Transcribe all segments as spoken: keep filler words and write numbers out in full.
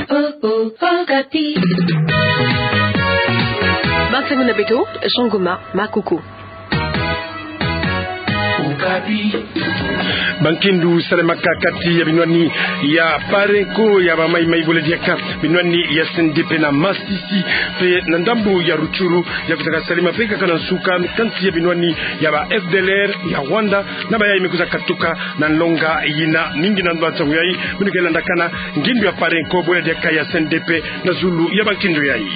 Oh, oh, Okapi. Bansangu na beto, Jean Goma Makuku. Okapi. Bankindu salemaka kati ya binwani ya Parenco ya bamaimai bole diaka binwani ya C N D P na Masisi, mpe na ndambu ya Rutshuru, ya kwiza kasalima mpe kaka na nsuka kati ya binwani ya ba F D L R ya Rwanda, na bayayi me kwiza katuka na nlonga yina. Mingi na bansangu yayi, beno ke landakana ngindu ya Parenco bole diaka ya C N D P na zulu ya bankindu yayi.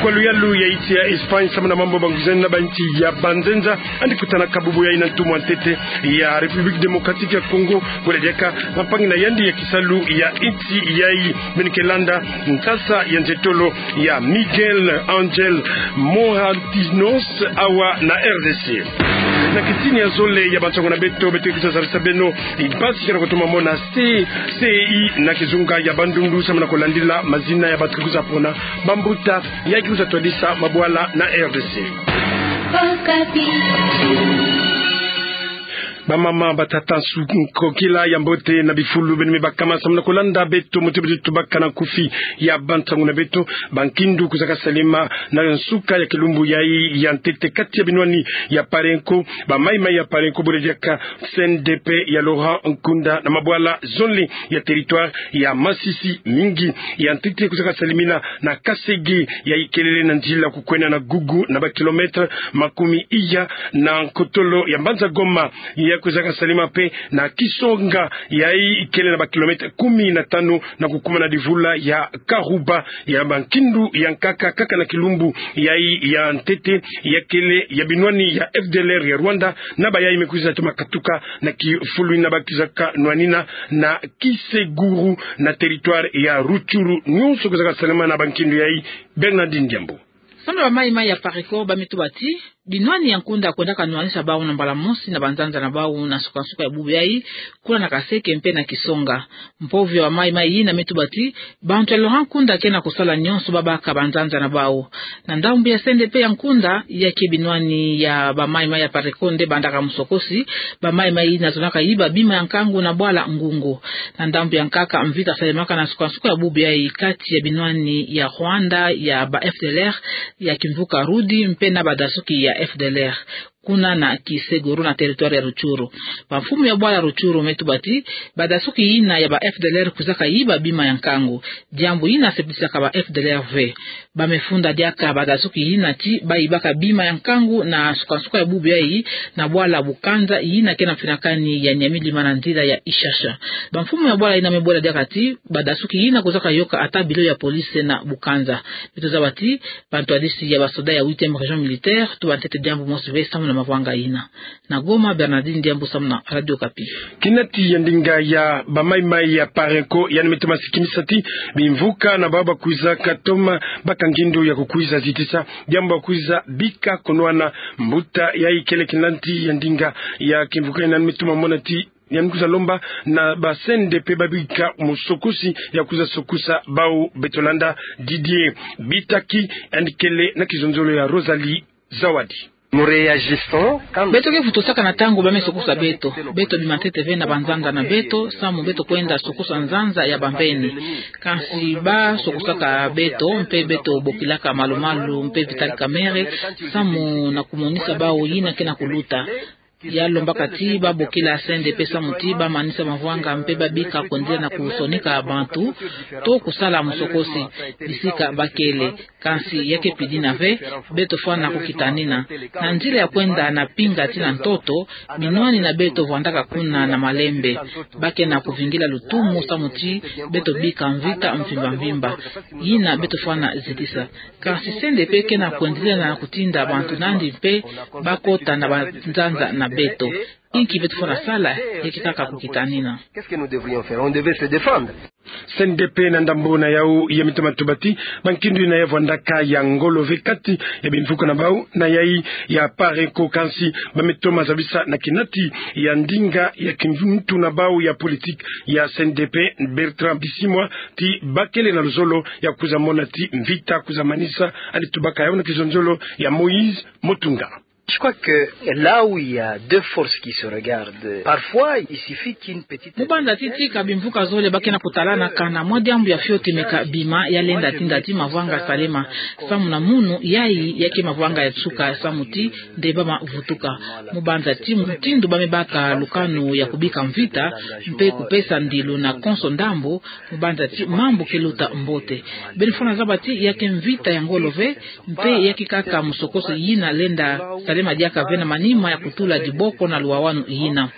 Kwa luyalu ya insi ya Espagne, samu na mambu ma nguzeni na bansi ya banzenza, yandi kutanaka bubu yayi na ntu mwa ntete ya République Démocratique ya Congo, bole diaka bampangi na yandi ya kisalu ya insi yayi. Beno ke landa nsasa ya nzietolo ya Miguel Angel Mohantinos awa na R D C. Na kisini ya zole ya bansangu na beto, beto ke kwiza zabisa beno mpasi ke na kutoma mo na C C I na kizunga ya Bandundu, samu na kulandila mazina ya bantu ke kwiza pona bambuta ya ke kwiza twadisa mabwala na R D C. Okapi. Bamama, batata, nsuka, nkokila ya mbote na bifulu beno me bakama samu na kulanda beto, muti beto tubaka na nkufi ya bansangu na beto. Bankindu kwiza kasalima na nsuka ya kilumbu yayi ya ntete kati ya binwani ya Parenco, bamaimai ya Parenco bole diaka C N D P ya Laurent Nkunda na mabwala zonle ya territoire ya Masisi. Mingi ya ntete kwiza kasalimina na Kasege, yayi kelele na nzila kukwenda na Gugu na ba kilomètre makumi iya na nkotolo ya mbanza Goma, ya kwiza kasalima mpe na Kisonga, yayi kele na ba kilomètre kumi na tanu na kukuma na divula ya Karuba. Ya bankindu ya nkaka, kaka na kilumbu yayi ya ntete, ya kele ya binwani ya F D L R ya Rwanda, na bayayi me kwiza toma katuka na kifulu yina ba kwiza kanwanina na Kiseguru na territoire ya Rutshuru. Nyonso kwiza kasalima na bankindu yayi. Bernardine Diambu. Samu na bamaimai ya Parenco, ba me tuba ti binwani ya Nkunda kwendaka nwanisa bau na mbala mosi na banzanza na bau na nsukansuka ya bubu yayi, kuna na Kaseke mpe na Kisonga. Mpovi ya bamaimai yina me tuba ti bantu ya Laurent Nkunda ke na kusala nyonso ba baka banzanza na bau. Na ndambu ya C N D P ya Nkunda, ya ke binwani ya bamaimai ya Parenco nde bandaka musokosi, bamaimai yina zonaka yiba bima ya nkangu na bwala Ngungu. Na ndambu ya nkaka, mvita salemaka na nsukansuka ya bubu yayi kati ya binwani ya Rwanda ya ba F D L R ya kimvuka Rudi mpe na badasuki ya F D L R, kuna na Kiseguru na territoire ya Rutshuru. Bamfumu ya bwala Rutshuru me tuba ti badasuki yina ya ba F D L R kwizaka yiba bima ya nkangu. Diambu yina septisaka ba F D L R ve. Ba me funda diaka badasuki yina ti ba yibaka bima ya nkangu na nsukansuka ya bubu yayi na bwala Bukanza, yina ke na mfinakani ya Nyamilima na nzila ya Ishasha. Bamfumu ya bwala yina me bwela diaka ti badasuki yina kwizaka yoka ata bilo ya police na Bukanza. Beto zaba ti bantwadisi ya basoda ya huitième région militaire, tuba ntete diambu mosi ve samu na mavwanga yina. Na Goma, Bernardine Diambu samu na Radio Okapi. Kinati ya ndinga ya bamaimai ya Parenco yandi me toma sikimisa ti bimvuka na bau ba kwiza katoma baka ngindu ya kukwiza zitisa diambu ba kwiza bika kunwana. Mbuta yayi kele kinati ya ndinga ya kimvuka yina me toma mona ti yandi kwiza lomba na ba C N D P ba bika musokosi ya kwiza sokosa bau. Beto landa Didier Bitaki, yandi kele na kizonzolo ya Rosalie Zawadi. Beto ke vutusaka na ntangu ba me sokosa beto. Beto bima ntete ve na banzanza na beto, samu beto kwenda sokosa nzanza ya bambeni. Kansi ba sokosaka beto, mpe beto bokilaka malu-malu mpe Vital Kamerhe, samu na kumonisa bau yina ke na kuluta. Ya lombaka ti ba bokila C N D P samu ti ba manisa mavwanga mpe ba bika kwendila na kusonika bantu to kusala musokosi bisika ba kele. Kansi ya ke pidina ve, beto fwana kukitanina. Na nzila ya kwenda na pinga tii na ntoto, binwani na beto vwandaka kuna na malembe. Ba ke na kuvingila lutumu samu ti beto bika mvita mvimba-mvimba. Yina beto fwana zitisa. Kansi C N D P ke na kwendila na kutinda bantu nandi mpe ba kota na banzanza na beto. Inki beto fwana sala? Ya ke kaka kukitanina. Qu'est-ce que nous devrions faire? On devait se défendre. C N D P na ndambu na yau ya me toma tuba ti bankindu yina ya vwandaka ya ngolo ve kati ya bimvuka na bau na yayi ya Parenco, kansi ba me toma zabisa na kinati ya ndinga ya kimvutu na bau ya politique ya C N D P, Bertrand Bisimwa, ti ba kele na luzolo ya kwiza mona ti mvita kwiza manisa. Yandi tubaka yau na kizonzolo ya Moïse Motunga. Je crois que là où il y a deux forces qui se regardent, parfois il suffit qu'une petite... Mu banza ti tika bimvuka zole ba ke na kutalana, kana mwa diambu ya fioti me ka bima, ya lenda tinda ti mavwanga salema. Samu na munu, yayi ya ke mavwanga ya nsuka, samu ti nde ba mavutuka. Mu banza ti mutindu ba me baka lukanu ya kubika mvita, mpe kupesa ndilu na konso ndambu, mu banza ti mambu ke luta mbote. Beno fwana zaba ti ya ke mvita ya ngolo ve, mpe ya ke kaka musokoso yina lenda salema diaka ve na manima ya kutula diboko na luwawanu yina.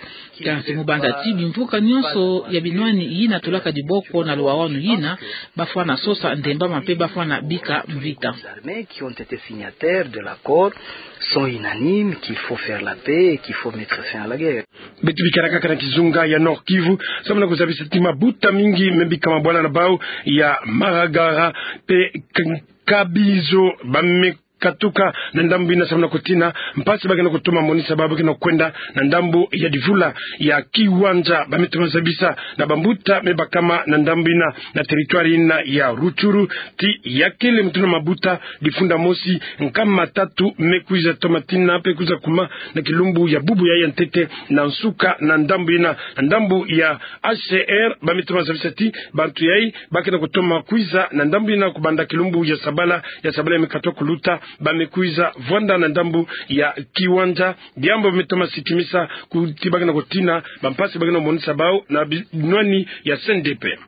Kansi mu banza ti bimvuka nyonso ya binwani yina tulaka diboko na luwawanu yina, ba fwana sosa ndembama mpe ba fwana bika mvita. Armées qui ont été signataires de l'accord sont unanimes qu'il faut faire la paix et qu'il faut mettre fin à la guerre. Beto bikala kaka na kizunga ya Nord-Kivu, samu na kuzabisa ti mabuta mingi me bika mabwala na bau ya Maragara mpe K-, Kabizo ba me katuka na ndambu yina samu na kutina mpasi ba ke na kutoma monisa bau ba ke na kwenda na ndambu ya Divula ya Kiwanja. Ba me toma zabisa na bambuta me bakama na ndambu yina, na territoire yina ya Rutshuru, ti ya kele mutindu na mabuta difunda mosi, nkama tatu me kwiza toma tina mpe kwiza kuma na kilumbu ya bubu yayi ya ntete na nsuka na ndambu yina. Na ndambu ya H C R, ba me toma zabisa ti bantu yayi ba ke na kutoma kwiza na ndambu yina kubanda kilumbu ya sabala, ya sabala ya me katuka kuluta, ba me kwiza vwanda na ndambu ya Kiwanja. Diambu ba me toma sikimisa ku-, ti ba ke na kutina bampasi ba ke na monisa bau na binwani ya C N D P.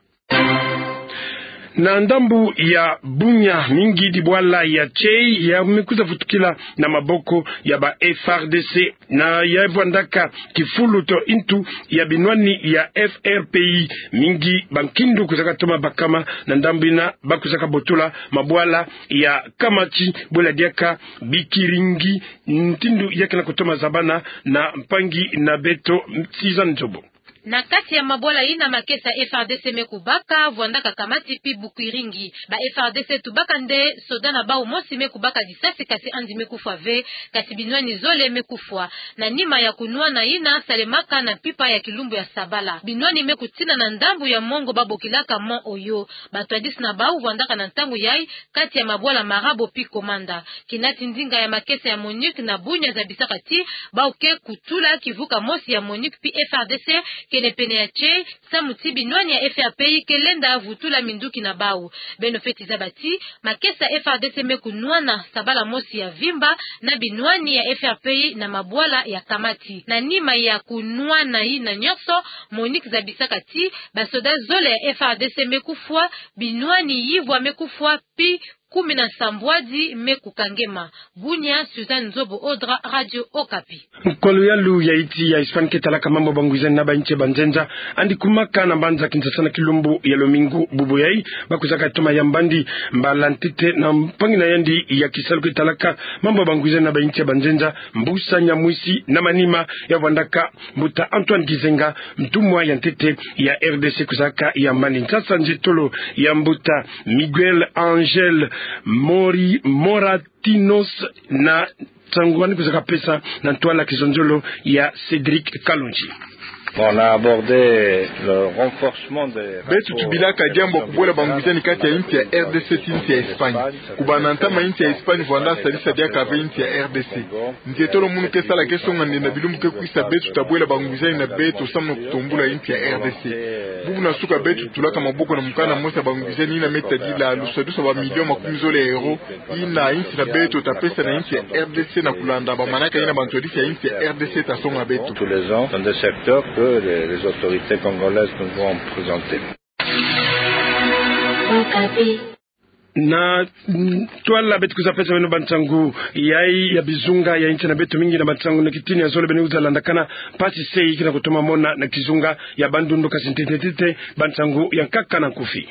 Na ndambu ya Bunia, mingi dibwala ya Tchei ya me kwiza vutukila na maboko ya ba F R D C, na ya vwandaka kifuluto ntu ya binwani ya F R P I. Mingi bankindu kwizaka toma bakama na ndambu yina, ba kwizaka botola mabwala ya Kamati, bwela diaka Bikiringi, mutindu ya ke na kutoma zabana na mpangi na beto Suzanne Nzobo. Na kati ya mabwala yina makesa F R D C me kubaka, vwandaka Kamati pi Bikiringi. Ba F R D C tubaka nde soda na bau mosi me kubaka disasi, kasi yandi me kufwa ve, kasi binwani zole me kufwa. Na nima ya kunwana yina salemaka na mpimpa ya kilumbu ya sabala, binwani me kutina na ndambu ya mongo ba bokilaka Mont Oyo. Batwadisi na bau vwandaka na ntangu yayi kati ya mabwala Marabo pi Komanda. Kina ti ndinga ya makesa ya MONUC na Bunia zabisaka ti bau ke kutula kivuka mosi ya MONUC pi F R D C kene pene ya Tchei, samu ti binwani ya F R P I ke lenda vutula minduki na bau. Beno feti zaba ti makesa F R D C me kunwana sabala mosi ya vimba na binwani ya F R P I na mabwala ya Kamati. Na nima ya kunwana yina nyonso, MONUC zabisaka ti basoda zole ya F R D C me kufwa, binwani yivwa me kufwa, pi kumi na sambwadi me kukangema. Bunia, Suzanne Nzobo Odra, Radio Okapi. Nkolo yalu ya insi ya Espagne ke talaka mambu ya bangwizani na bainsi ya banzenza, yandi kumaka na mbanza Kinshasa na kilumbu ya lomingu bubu yayi. Ba kwizaka toma yambandi mbala ntete na mpangi na yandi ya kisalu ke talaka mambu ya bangwizani na bainsi ya banzenza, Mbusa Nyamwisi, na manima ya vwandaka mbuta Antoine Gizenga, ntumwa ya ntete ya R D C, kwizaka yambandi. Nsasa nzietolo ya mbuta Miguel Angel Mori Moratinos, na nsangu yandi kwizaka pesa na ntwala kizonzolo ya Cédric Kalonji. On a abordé le renforcement des rapports. Beto tubilaka diambu ya kubwela bangwizani kati ya insi ya R D C ti insi ya Espagne. Kubanda ntama, insi ya Espagne vwanda sadisa diaka ve insi ya R D C. Nzietolo munu ke sala ke songa nde na bilumbu ke kwisa beto tabwela bangwizani na beto samu na kutombula insi ya R D C. Bubu na suka beto tulaka maboko na mukanda mosi ya bangwizani yina me tadila lusadusa ba millions makumi zole ya euros, yina insi na beto tapesa na insi ya R D C na kulanda bamanaka yina bantwadisi ya insi ya R D C tasonga beto. Tous les ans, dans des secteurs que les, les autorités congolaises nous ont présentés. Na, mm, ntwala beto kwiza pesa beno bansangu yayi ya bizunga ya insi na beto, mingi na bansangu na kitini ya zole beno kwiza landakana mpasi se yikina kutoma mona na kizunga ya Bandundu, kasi ntete ntete bansangu ya nkaka na nkufi.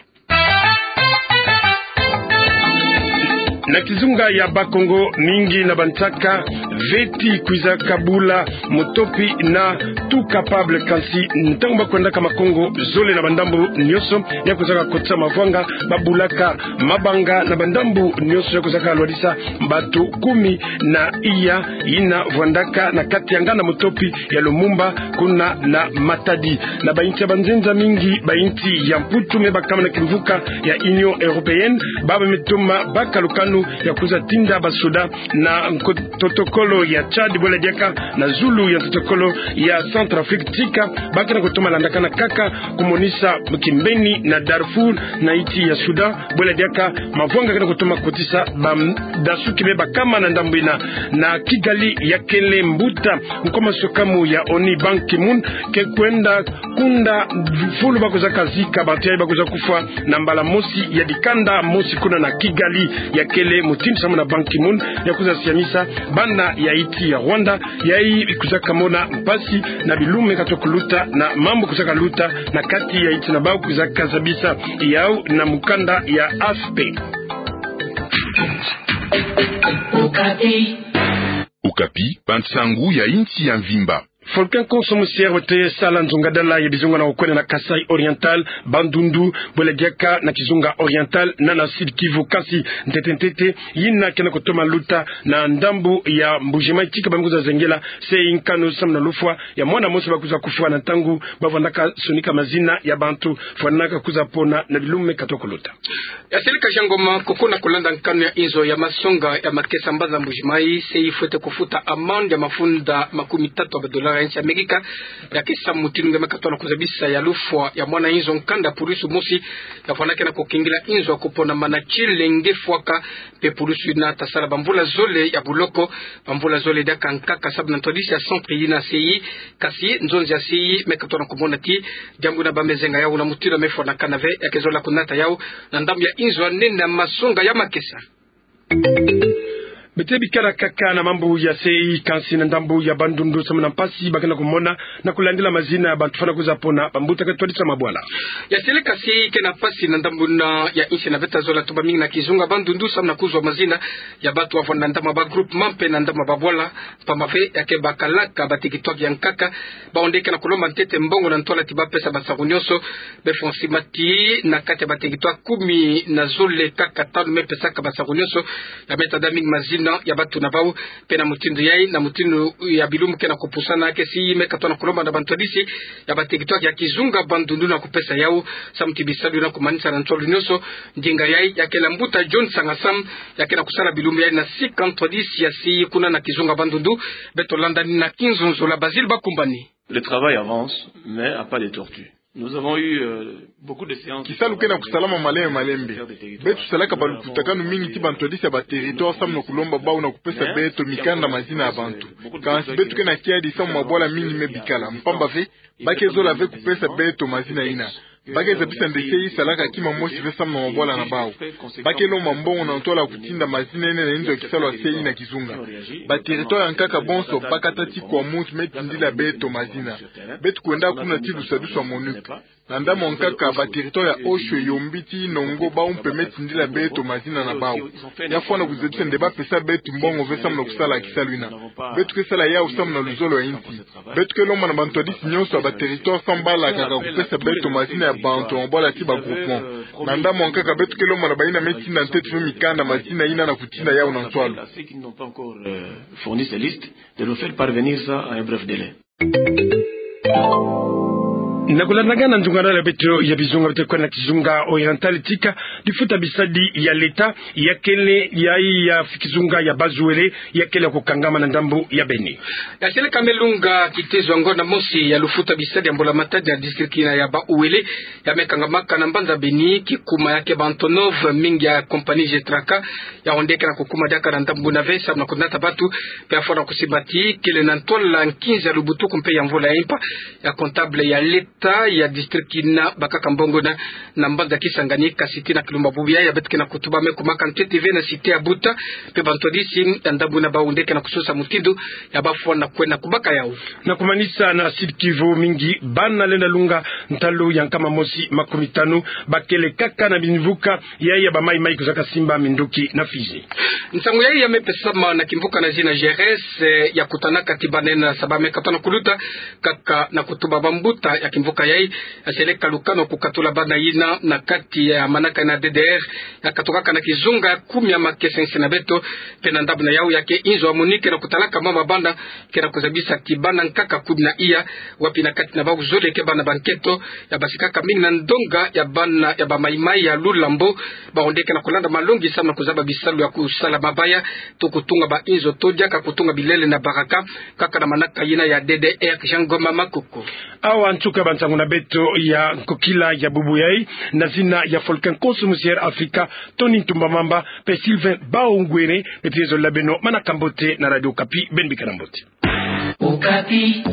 Na kizunga ya Bas-Congo, mingi na bansaka veti kwiza kabula mutopi na Tout Capable, kansi ntangu ba kwendaka makongo zole na bandambu nyonso, ya kwizaka kotisa mavwanga, ba bulaka mabanga na bandambu nyonso, ya kwizaka lwadisa bato kumi na iya yina vwandaka na kati ya nganda mutopi ya Lumumba, kuna na Matadi. Na bainsi ya banzenza, mingi bainsi ya Mputu me bakama na kimvuka ya Union Européenne, baba me toma baka lukanu ya kwiza tinda basoda na nko-, totoko kolo ya Tchad, bwela diaka na zulu ya ntoto kolo ya Centrafrique tika, ba ke na kutoma landakana kaka kumonisa kimbeni na Darfour na insi ya Soudan, bwela diaka mavwanga ke na kutoma kotisa badasuki me bakama na ndambu ina. Na Kigali ya kele mbuta nkoma sokamu ya ONU Ban Ki-moon ke kwenda kunda fulu ba kwiza kazika bantu yayi ba kwiza kufwa na mbala mosi ya dikanda mosi kuna na Kigali. Ya kele mutindu samu na Ban Ki-moon ya kwiza siamisa bana ya insi ya Rwanda, yayi kwiza kamona mpasi na bilumbu me katoka kuluta na mambu kwiza kaluta na kati ya insi na bau, kwiza kazabisa yau na mukanda ya A F P. Okapi, bansangu ya insi ya mvimba. Volcan Konso Musiere wete sala nzongadala ya bizunga na okwena na Kasaï Oriental, Bandundu, bwela diaka na kizunga Oriental na na Sud-Kivu, kansi ntete ntete yina ke na kutoma luta na ndambu ya Mbuji-Mayi tika ba me kwiza zengela se nkanu samu na lufwa ya mwana mosi ba kwiza kufwa na ntangu ba vwanaka sonika mazina ya bantu, fwanaka kwiza pona na bilumbu me katoka kuluta. Ya seleka Jean Ngoma, koko na kulanda nkanu ya inzo ya masonga ya makesa mbanza Mbuji-Mayi, se ifwete kufuta amande ya mafunda makumi tatu ya ba dollars ya insi ya Amerika, ya kesa mutindu nge me katona kuzabisa ya lufwa ya mwana inzo nkanda pulusu mosi, ya fwana ke na kukengela inzo ya kupona mana tiele nge fwaka, mpe pulusu ina ta sala bamvula zole ya buloko, bamvula zole diaka nkaka samu na ntwadisi ya centre ina C I, kansi nzonzi ya C I me katona kumona ti diambu ina ba me zenga yau na mutindu me fwanakana ve, ya ke zola kunata yau na ndambu ya inzo ya nene ya masonga ya makesa. Beto bikala kaka na mambu ya C I, kansi na ndambu ya Bandundu samu na mpasi ba ke na kumona na kulandila mazina ya bantu fwana kwiza pona, bambuta ke twadisa mabwala. Ya seleka C I ke na mpasi na ndambu ina ya insi na beta zola tuba mingi na kizunga Bandundu samu na kuzwa mazina ya bantu wavwanda na ndambu ya ba groupement mpe na ndambu ya babwala. Mpamba ve ya ke bakalaka ba territoire ya nkaka, bau nde ke na kulomba ntete mbongo na ntwala ti ba pesa basaru nyonso. Be fwa nsima ti na kati ya ba territoire kumi na zole kaka tanu me pesaka basaru nyonso. Ya me tada mingi mazina ya bantu na bau. Mpe na mutindu yayi, na mutindu ya bilumbu ke na kupusana, ke C I me katona kulomba na bantwadisi ya ba territoire ya kizunga Bandundu na kupesa yau samu ti bisalu na kumanisa na ntwalu nyonso. Ndinga yayi ya kele mbuta John Sanga Sam, ya ke na kusala bilumbu yayi na sika ntwadisi ya C I kuna na kizunga Bandundu. Beto landa nina kinzonzolo ya Basile Bakumbani. Le travail avance, mais à pas de tortue. Nous avons eu, euh, beaucoup de séances. Kisalu ke na kusalama malembe malembe. Beto salaka balukutakanu mingi ti bantwadisi ya ba territoire samu na kulomba bau na kupesa beto mikanda mazina ya bantu. Kansi beto ke na kiadi samu mabwala mingi me bikala. Mpamba ve, ba ke zola ve kupesa beto mazina ina. Ba ke zabisa nde C I salaka kima mosi ve samu na mabwala na bau. Ba ke lomba mbongo na ntwala ya kutinda mazina ina na inzo ya kisalu ya C I na kizunga. Ba territoire ya nkaka bonso, ba kata ti Kwamouth, me tindila beto mazina. Beto kwenda kuna ti dusadusa MONUC. Na ndambu ya nkaka, ba territoire ya Oshwe, Yombi ti Inongo, bau mpe me tindila beto mazina na bau. Ya fwana kuzabisa nde ba pesa beto mbongo ve samu na kusala kisalu ina. Beto ke sala yau samu na luzolo ya insi. Beto ke lomba na bantwadisi nyonso ya ba territoire samu balakaka kupesa beto mazina ya bantu na mabwala ti ba groupement. Na ndambu ya nkaka, beto ke lomba na bayina me tinda ntete ve mikanda mazina ina na kutinda yau na ntwalu. Ceux qui n'ont pas encore, euh, fourni ces listes, de nous faire parvenir ça à un bref délai. Na kulandakana na nzunga na beto ya bizunga, beto kwenda na kizunga Oriental tika, lifuta bisadi ya leta ya kele yayi ya kizunga ya Bas-Uele, ya kele ya kukangama na ndambu ya Beni. Ya seleka me lunga kitezo ya ngonda mosi ya lufuta bisadi ya mbula matadi na district ina ya Bas-Uele, ya me kangamaka na mbanza Beni, kikuma ya ke ba Antonov mingi ya compagnie Getraca, ya onde ke na kukuma diaka na ndambu ina ve samu na kunata bantu, mpe ya fwana kusimba ti kele na ntwala nkinza ya lubutuku mpe ya mvula ya impa, ya comptable ya leta ya district ina bakaka mbongo ina na mbanza Kisangani, kansi tii na kilumbu bubu yayi, ya beto ke na kutuba me kumaka ntete ve na cité ya Buta, mpe bantwadisi ya ndambu ina bau nde ke na kusosa mutindu ya ba fwana kwenda kubaka yau. Na kumanisa na Sud-Kivu, mingi bana lenda lunga ntalu ya nkama mosi makumi tanu, ba kele kaka na bimvuka yayi ya ba Maï-Maï kuzaka simba minduki na Fidji. Nsangu yayi ya me pesama na kimvuka na zina Jerez, eh, ya kutanaka ti bana ina saba me katona kuluta, kaka na kutuba bambuta ya kimvuka yayi, ya seleka lukano kukatula bana ina na kati ya manaka ina D D R, ya katukaka na kizunga kumi ya makesa nsi na beto, pe na ndambu na yau ya ke inzo ya MONUC ke na kutalaka mama bana, ke na kuzabisa kibana nkaka kumi na iya, wapi na kati na bau zole ke bana ba nketo, ya basikaka mingi na ndonga ya bana ya ba maimai ya Lulambo, ba onde ke na kulanda malongi samu na kuzaba bisalu ya kusala mabaya, to kutunga ba inzo to diaka kutunga bilele na baraka, kaka na manaka yina ya D D R Jean Ngoma Makoko. Awa nsuka ba nsangu na beto ya nkokila ya bubu yai, na zina ya Volcan Konso Musier Afrika, Tony Ntumba Mamba, pe Sylvain Baongwere, pe piezo la beno manaka mbote na Radio Okapi, beno bika na mbote. Okapi.